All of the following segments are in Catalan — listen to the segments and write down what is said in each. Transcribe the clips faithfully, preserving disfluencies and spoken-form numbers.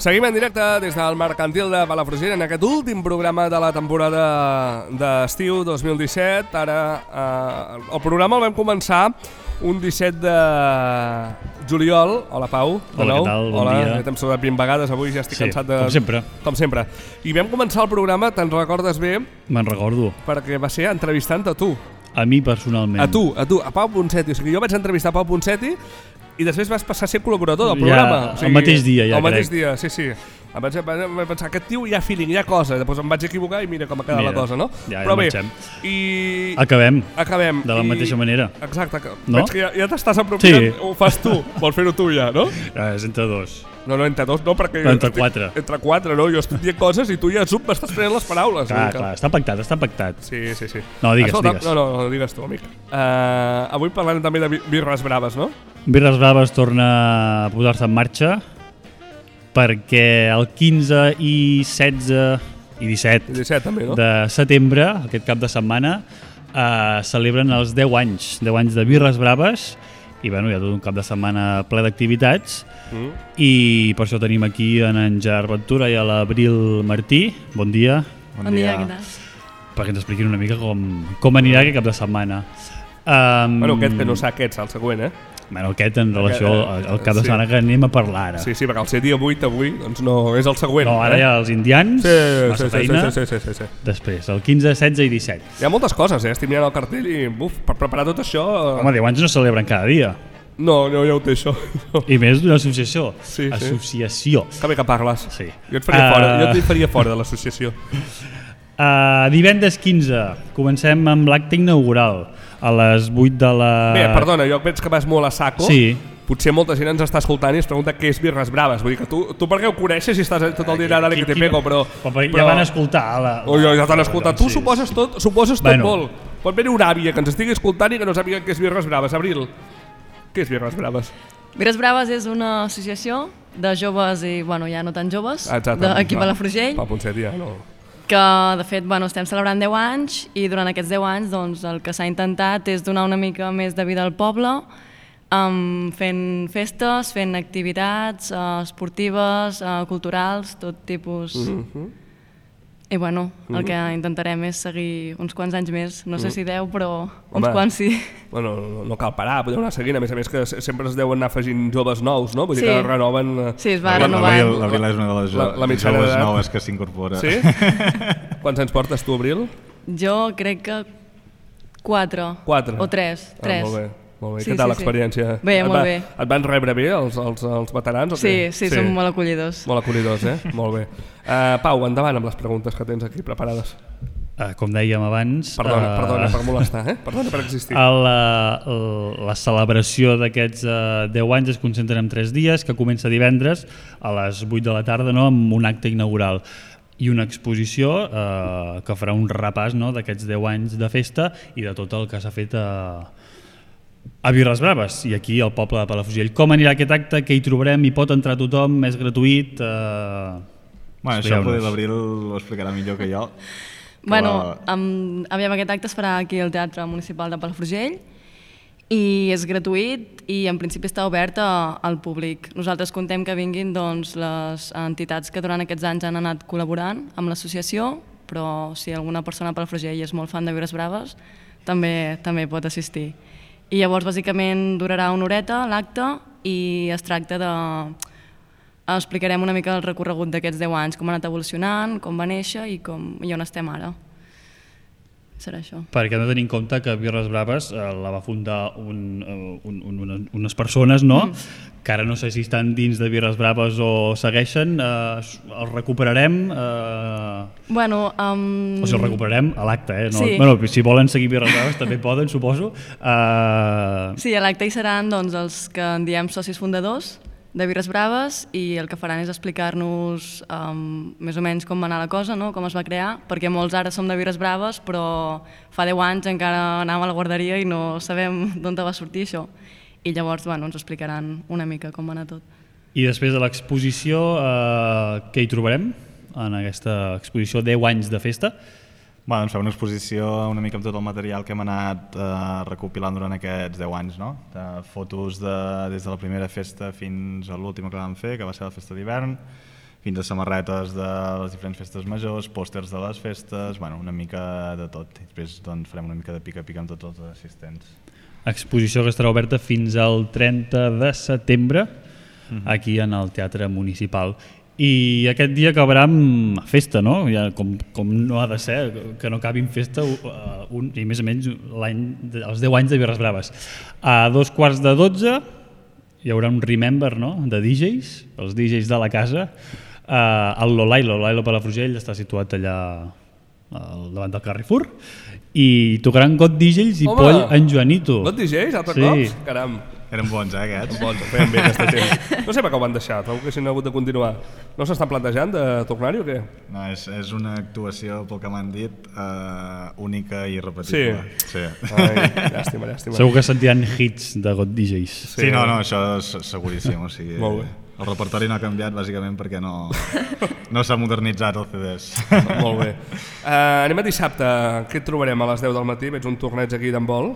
Seguim en directe des del Mercantil de Palafrugell en aquest últim programa de la temporada d'estiu dos mil disset. Ara eh, el programa el vam començar un disset de juliol. Hola, Pau, de Hola, nou. què tal? Bon Hola, dia. ja t'hem saludat vint vegades avui, ja estic Sí, cansat de... com sempre. Com sempre. I vam començar el programa, te'n recordes bé, Me'n recordo. perquè va ser entrevistant a tu. A mi personalment. A tu, a tu, a Pau Ponseti. O sigui, jo vaig entrevistar Pau Ponseti i després vas passar a ser col·laborador del Ja, programa. O sigui, el mateix dia, ja El mateix crec. dia, sí, sí. Em vaig, vaig pensar, aquest tio hi ha feeling, hi ha cosa. Després em vaig equivocar i mira com ha quedat Mira, la cosa, no? ja, ja Però bé, marxem. i... Acabem. Acabem. De la I... mateixa manera. Exacte. Que... No? Veig que ja, ja t'estàs apropiant, Sí. ho fas tu. Vols fer-ho tu ja, no? Ja, és entre dos. No, no, entre dos no, perquè... No, entre estic- quatre. Entre quatre, no? Jo estic dient coses i tu ja sub m'estàs prenent les paraules. Clar, mica. clar, està pactat, està pactat. Sí, sí, sí. No, digues, Escolta, digues. No, no, no, digues tu, amic. Uh, avui parlarem també de bi- birres braves, no? Birres Braves torna a posar-se en marxa perquè el quinze i setze i disset I disset també, no? de setembre, aquest cap de setmana, eh, celebren els deu anys, deu anys de Birres Braves i bueno, hi ha tot un cap de setmana ple d'activitats Mm. i per això tenim aquí en, en Gerard Ventura i a l'Abril Martí. Bon dia, Bon dia, què tal? perquè ens expliquin una mica com, com anirà aquest cap de setmana. Um, Bueno, aquest que no sap què ets, el següent, eh? Bueno, aquest en relació al, al cap de Sí. setmana que anem a parlar ara. Sí, sí, perquè el ser dia vuit avui, doncs no, és el següent. No, ara eh? hi ha els indians, Sí, massa sí, sí, feina, sí, sí, sí, sí, sí. després el quinze, setze i disset. Hi ha moltes coses, eh? Estic mirant el cartell i, buf, per preparar tot això... eh, Home, deu anys no celebren cada dia. No, no, ja ho té, això. No. I més d'una associació. Sí, sí. Associació. Que bé que parles. Sí. Jo et faria Ah. fora, jo et faria fora de l'associació. Uh, divendres quinze, comencem amb l'acte inaugural a les vuit de la... Bé, perdona, jo veig que vas molt a saco. Sí. Potser molta gent ens està escoltant i es pregunta què és Birres Braves. Vull dir que tu, tu per què ho coneixes si estàs tot el dia allà dale que te pego, però... Però ja van escoltar. La... Oh, ja, ja t'han escoltat. Tu Sí. suposes tot, suposes tot Bueno. molt. Pot haver una àvia que ens estigui escoltant i que no sàpiga què és Birres Braves. Abril, què és Birres Braves? Birres Braves és una associació de joves i, bueno, ja no tan joves, Exacte. d'aquí a Palafrugell, Pa Ponset, ja, no. que de fet bueno, estem celebrant deu anys i durant aquests deu anys doncs, el que s'ha intentat és donar una mica més de vida al poble, um, fent festes, fent activitats uh, esportives, uh, culturals, tot tipus. Mhm. I bueno, el que intentarem és seguir uns quants anys més, no sé si deu, però uns Home. quants sí. Bueno, no, no cal parar, podeu anar seguint. A més a més que se- sempre es deuen anar afegint joves nous, no? Vull dir Sí. que renoven... eh, Sí, es va la- renovant. L'Abril l'Abril és una de les La- la mitjana joves d'edat. noves que s'incorpora. Sí? Quants anys portes tu, Abril? Jo crec que quatre. Quatre. O tres. Ah, tres. molt bé. Molt bé. Sí, Què tal sí, sí. l'experiència? Bé, Et molt va- bé. Et van rebre bé els, els, els veterans? O Sí, què? sí, som molt acollidors. Molt acollidors, eh? Molt bé. Uh, Pau, endavant amb les preguntes que tens aquí preparades. Uh, com dèiem abans... Perdona, uh, perdona per molestar, eh? Perdona per existir. El, uh, la celebració d'aquests uh, deu anys es concentra en tres dies, que comença divendres a les vuit de la tarda, no?, amb un acte inaugural i una exposició eh, que farà un repàs, no?, d'aquests deu anys de festa i de tot el que s'ha fet a, a Birres Braves i aquí al poble de Palafrugell. Com anirà aquest acte? Què hi trobarem? Hi pot entrar tothom? És gratuït? Eh... Bueno, això potser l'Abril ho explicarà millor que jo. Bueno, um, aviam, aquest acte es farà aquí al Teatre Municipal de Palafrugell i és gratuït i en principi està obert a, al públic. Nosaltres contem que vinguin doncs, les entitats que durant aquests anys han anat col·laborant amb l'associació, però si alguna persona a Palafrugell és molt fan de Birres Braves, també també pot assistir. I llavors, bàsicament, durarà una horeta l'acte i es tracta de... Explicarem una mica el recorregut d'aquests deu anys, com ha anat evolucionant, com va néixer i, com, i on estem ara. Serà això. Perquè hem de tenir en compte que Birres Braves eh, la va fundar un, uh, un, un, un, unes persones, no?, mm. que ara no sé si estan dins de Birres Braves o segueixen. Eh, els recuperarem? Eh, Bueno, um... o sigui, els recuperarem a l'acte, eh? No, Sí. bueno, si volen seguir Birres Braves també poden, suposo. Eh, Sí, a l'acte hi seran doncs, els que en diem socis fundadors de Birres Braves i el que faran és explicar-nos um, més o menys com va anar la cosa, no?, com es va crear, perquè molts ara som de Birres Braves, però fa deu anys encara anàvem a la guarderia i no sabem d'on va sortir això. I llavors bueno, ens explicaran una mica com va anar tot. I després de l'exposició, eh, què hi trobarem en aquesta exposició deu anys de festa? Bueno, ens fa una exposició una mica amb tot el material que hem anat eh, recopilant durant aquests deu anys, no? De fotos de, des de la primera festa fins a l'última que vam fer, que va ser la festa d'hivern, fins a samarretes de les diferents festes majors, pòsters de les festes, bueno, una mica de tot. I després doncs, farem una mica de pica-pica amb tots els assistents. Exposició que estarà oberta fins al trenta de setembre, uh-huh. aquí en el Teatre Municipal. I aquest dia acabarà amb festa, no? Ja, com, com no ha de ser, que no acabi amb festa uh, un, i més o menys l'any, els deu anys de Birres Braves. A dos quarts de dotze hi haurà un Remember, no?, de D Js, els D Js de la casa. Uh, el Lolailo, Lolailo Palafrugell, està situat allà al davant del Carrefour, i tocaran Got D Js i Home, Poll en Joanito. Got D Js, altre sí. cops? Caram. Eren bons, eh, aquests? Bons, feien bé aquesta gent. No sé per què ho van deixar, trobo que s'han hagut de continuar. No s'estan plantejant de tornar-hi o què? No, és, és una actuació, pel que m'han dit, uh, única i irrepetible. Sí. sí. Ai, llàstima, llàstima. Segur que sentiran hits de Got D Js. Sí, sí no, no, això és seguríssim. O sigui, Molt bé. El repertori no ha canviat bàsicament perquè no, no s'ha modernitzat el C Ds. Molt bé. Uh, anem a dissabte. Què et trobarem a les deu del matí? Veig un torneig aquí d'handbol.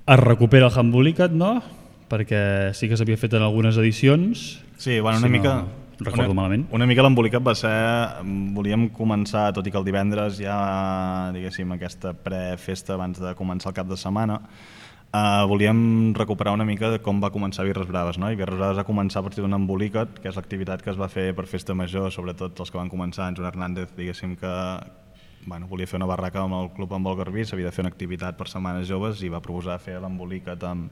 Es recupera el Handbolicat, no? Perquè sí que s'havia fet en algunes edicions. Sí, bueno, una si mica... No recordo una, malament. Una mica l'embolicat va ser... Volíem començar, tot i que el divendres ja, diguéssim, aquesta prefesta abans de començar el cap de setmana, Uh, volíem recuperar una mica de com va començar Birres Braves, no? I Birres Braves va començar a partir d'un embolicat, que és l'activitat que es va fer per festa major, sobretot els que van començar, en Joan Hernández, diguéssim que bueno, volia fer una barraca amb el Club Handbol Garbí, s'havia de fer una activitat per setmanes joves i va proposar fer l'embolicat amb,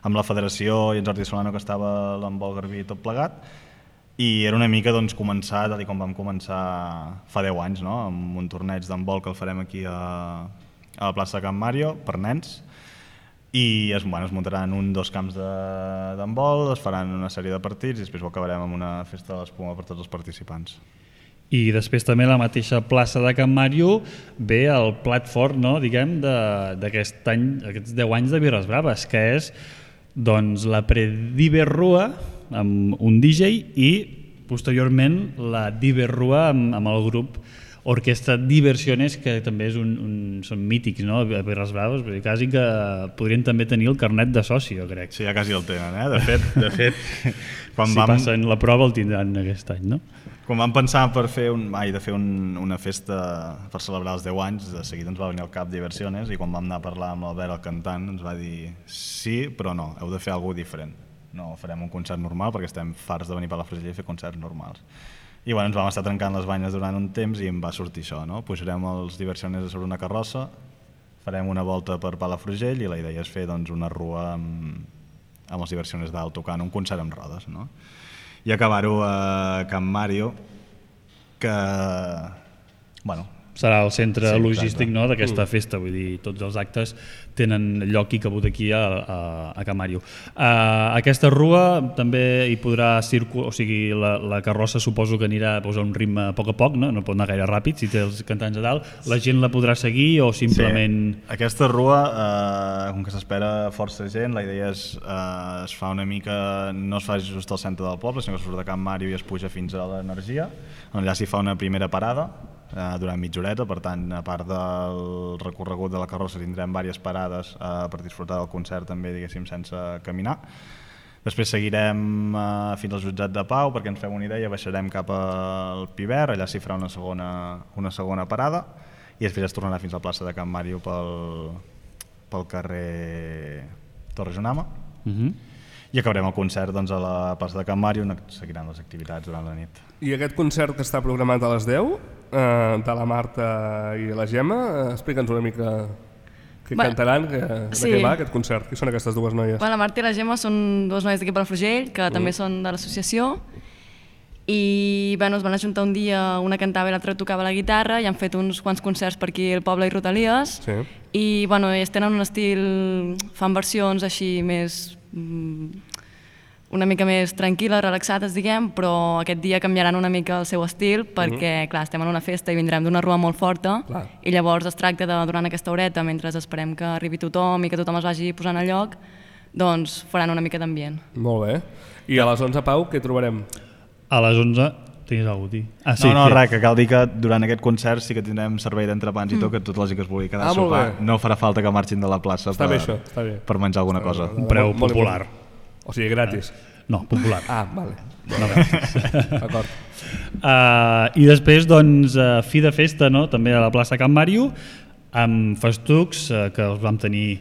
amb la federació i en Jordi Solano, que estava a l'Handbol Garbí tot plegat, i era una mica doncs, començar, tal com vam començar fa deu anys, no? Amb un torneig d'handbol que el farem aquí a, a la plaça de Can Mario, per nens, i es, bueno, es muntaran un dos camps d'handbol, es faran una sèrie de partits i després ho acabarem amb una festa de l'espuma per tots els participants. I després també a la mateixa plaça de Can Mario ve el plat fort, no, diguem, d'aquest any, aquests deu anys de Birres Braves, que és doncs, la Prediberrua amb un D J i posteriorment la Diverrua amb, amb el grup Orquestra Diversiones, que també és un, un, són mítics, no? A Birres Braves, perquè quasi que podrien també tenir el carnet de soci, jo crec. Sí, ja quasi el tenen, eh? De fet, de fet quan si vam... passen la prova el tindran aquest any, no? Quan vam pensar per fer un, ai, de fer un, una festa per celebrar els deu anys, de seguida ens va venir el cap Diversiones i quan vam anar a parlar amb l'Albert, el cantant, ens va dir sí, però no, heu de fer alguna cosa diferent. No farem un concert normal perquè estem farts de venir a Palafrugell i fer concerts normals. I bueno, ens vam estar trencant les banyes durant un temps i em va sortir això, no? Pujarem els Diversiones sobre una carrossa, farem una volta per Palafrugell i la idea és fer doncs, una rua amb, amb els Diversiones dalt tocant un concert amb rodes, no? I acabar-ho a Can Mario, que... bueno, serà el centre sí, logístic, no, d'aquesta mm. festa, vull dir, tots els actes tenen lloc i cabut aquí a, a, a Can Mario. Uh, aquesta rua també hi podrà circular, o sigui, la, la carrossa suposo que anirà a posar un ritme a poc a poc, no, no pot anar gaire ràpid si té els cantants a dalt, la gent la podrà seguir o simplement... Sí. Aquesta rua, eh, com que s'espera força gent, la idea és eh, es fa una mica, no es fa just al centre del poble, sinó que surt de Can Mario i es puja fins a l'Energia, on allà s'hi fa una primera parada, durant mitja horeta, per tant, a part del recorregut de la carrossa tindrem diverses parades eh, per disfrutar del concert també, diguéssim, sense caminar. Després seguirem eh, fins al jutjat de Pau, perquè ens fem una idea, baixarem cap al Piver, allà s'hi farà una segona, una segona parada, i després es tornarà fins a la plaça de Can Mario pel, pel carrer Torre Jonama. Uh-huh. I acabarem el concert doncs, a la plaça de Can Mario, on seguiran les activitats durant la nit. I aquest concert que està programat a les deu, eh, de la Marta i la Gemma, eh, explica'ns una mica què bueno, cantaran, que, sí. de què va aquest concert, qui són aquestes dues noies? Bueno, la Marta i la Gemma són dues noies d'aquí Palafrugell, que mm. també són de l'associació, i bueno, es van ajuntar un dia, una cantava i l'altra tocava la guitarra, i han fet uns quants concerts per aquí al poble i Rodalies, sí. i bueno, ells tenen un estil, fan versions així més... una mica més tranquil·les, relaxades, diguem, però aquest dia canviaran una mica el seu estil perquè, uh-huh. clar, estem en una festa i vindrem d'una rua molt forta clar. I llavors es tracta de, durant aquesta horeta, mentre esperem que arribi tothom i que tothom es vagi posant a lloc, doncs faran una mica d'ambient. Molt bé. I a les onze, Pau, què trobarem? A les onze tenies alguna cosa a dir? Ah, sí, no, no, sí. res, que cal dir que durant aquest concert sí que tindrem servei d'entrepans mm. i tot, que tot la gent que es vulgui quedar ah, a sopar no farà falta que marxin de la plaça està per, bé, això, està bé. per menjar alguna cosa. Un preu molt, popular. Molt o sigui, gratis. No, popular. Ah, vale. No, gràcies. D'acord. Uh, I després, doncs, uh, fi de festa, no? També a la plaça Can Màrio, amb festucs uh, que els vam tenir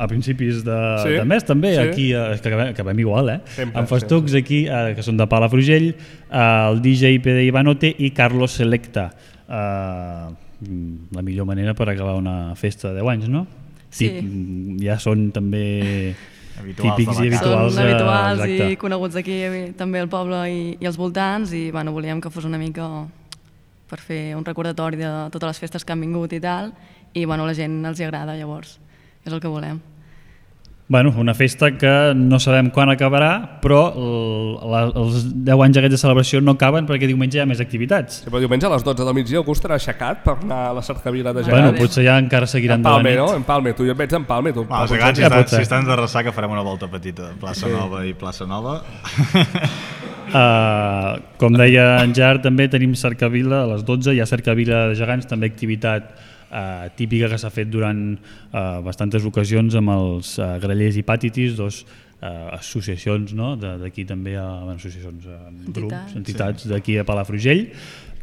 a principis de, sí? de mes, també, sí? aquí, uh, que acabem, acabem igual, eh? Sempre, amb festucs sempre. aquí, uh, que són de Palafrugell, uh, el D J P D Ivanote i Carlos Selecta. Uh, la millor manera per acabar una festa de deu anys, no? Sí. Tip, ja són també Habituals típics i de la casa. habituals. Són habituals exacte. i coneguts aquí també al poble i, i als voltants i bueno, volíem que fos una mica per fer un recordatori de totes les festes que han vingut i tal i bueno, la gent els hi agrada, llavors és el que volem. Bueno, una festa que no sabem quan acabarà, però el, la, els deu anys aquests de celebració no acaben perquè diumenge hi ha més activitats. Sí, però diumenge a les dotze del migdia algú estarà aixecat per anar a la cercavila de Bueno, gegants. potser ja encara seguiran de la Empalme, nit. no? Empalme, tu jo et veig empalme. Tu. Va, els gegants, si, Ja estan, pot ser. si estan de ressaca farem una volta petita. Plaça sí. Nova i Plaça Nova. Uh, com deia en Jar, també tenim cercavila a les dotze, hi ha cercavila de gegants, també activitat uh, típica que s'ha fet durant uh, bastantes ocasions amb els uh, grallers i pàtitis, dos uh, associacions, no? D'aquí també, uh, bueno, associacions, uh, grups, Entitats. entitats d'aquí a Palafrugell,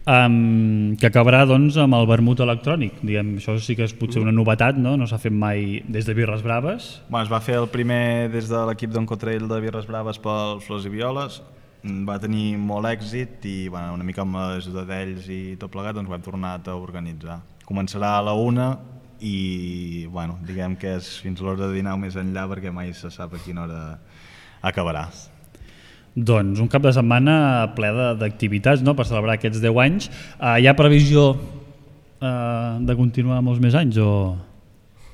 um, que acabarà doncs, amb el vermut electrònic. Diguem, això sí que és potser una novetat, no, no s'ha fet mai des de Birres Braves. Bueno, es va fer el primer des de l'equip d'Oncotrail de Birres Braves pels Flors i Violes, va tenir molt èxit i bueno, una mica amb l'ajuda d'ells i tot plegat doncs ho hem tornat a organitzar. Començarà a la una i bueno, diguem que és fins a l'hora de dinar o més enllà perquè mai se sap a quina hora acabarà. Doncs un cap de setmana ple de- d'activitats, no?, per celebrar aquests deu anys. Uh, hi ha previsió uh, de continuar molts més anys o...?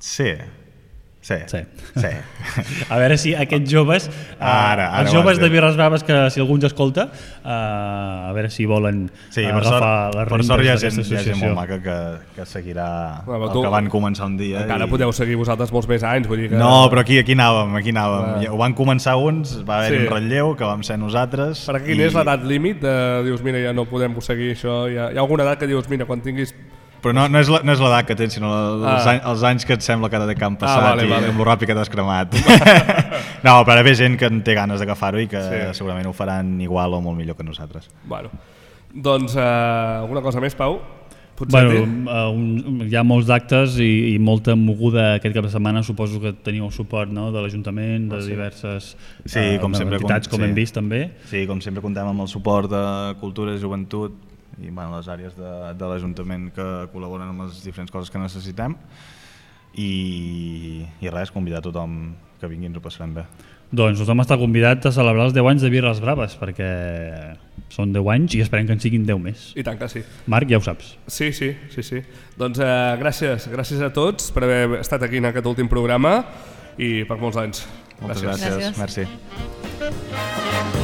Sí, sí, Sí. sí. A veure si aquests joves, uh, Ara, ara els ho joves has de dit. Birres Braves, que si algú ens escolta, uh, a veure si volen Sí, uh, per sort, agafar les per rentes sort hi ha d'aquesta gent, hi ha gent associació. molt maca que, que seguirà Bueno, el tu- que van començar un dia. Encara i... podeu seguir vosaltres molts més anys. Vull dir que... No, però aquí, aquí anàvem, aquí anàvem. Ah. Ja, ho van començar uns, va haver Sí. un relleu, que vam ser nosaltres. Per aquí, quina és l'edat límit? De, dius, mira, ja no podem seguir això. Hi ha, hi ha alguna edat que dius, mira, quan tinguis... Però no, no és la- no és l'edat que tens, sinó els, Ah. anys, els anys que et sembla que de camp passat vale, i vale. amb lo ràpid que t'has cremat. No, però hi ha gent que en té ganes d'agafar-ho i que Sí. segurament ho faran igual o molt millor que nosaltres. Bueno, doncs, eh, alguna cosa més, Pau? Potser Bueno, uh, un, hi ha molts d'actes i, i molta moguda aquest cap de setmana. Suposo que teniu el suport, no?, de l'Ajuntament, de diverses Sí, eh, com sempre, entitats, com- com sí. hem vist també. Sí, com sempre comptem amb el suport de Cultura i Joventut i bueno, les àrees de, de l'Ajuntament que col·laboren amb les diferents coses que necessitem i, i res, convidar tothom que vingui, ens ho passarem bé. Doncs tothom està convidat a celebrar els deu anys de Birres Braves, perquè són deu anys i esperem que en siguin deu més. I tant que sí. Marc, ja ho saps. Sí, sí, sí, sí. Doncs eh, gràcies, gràcies a tots per haver estat aquí en aquest últim programa i per molts anys. Moltes gràcies. Gràcies. Merci.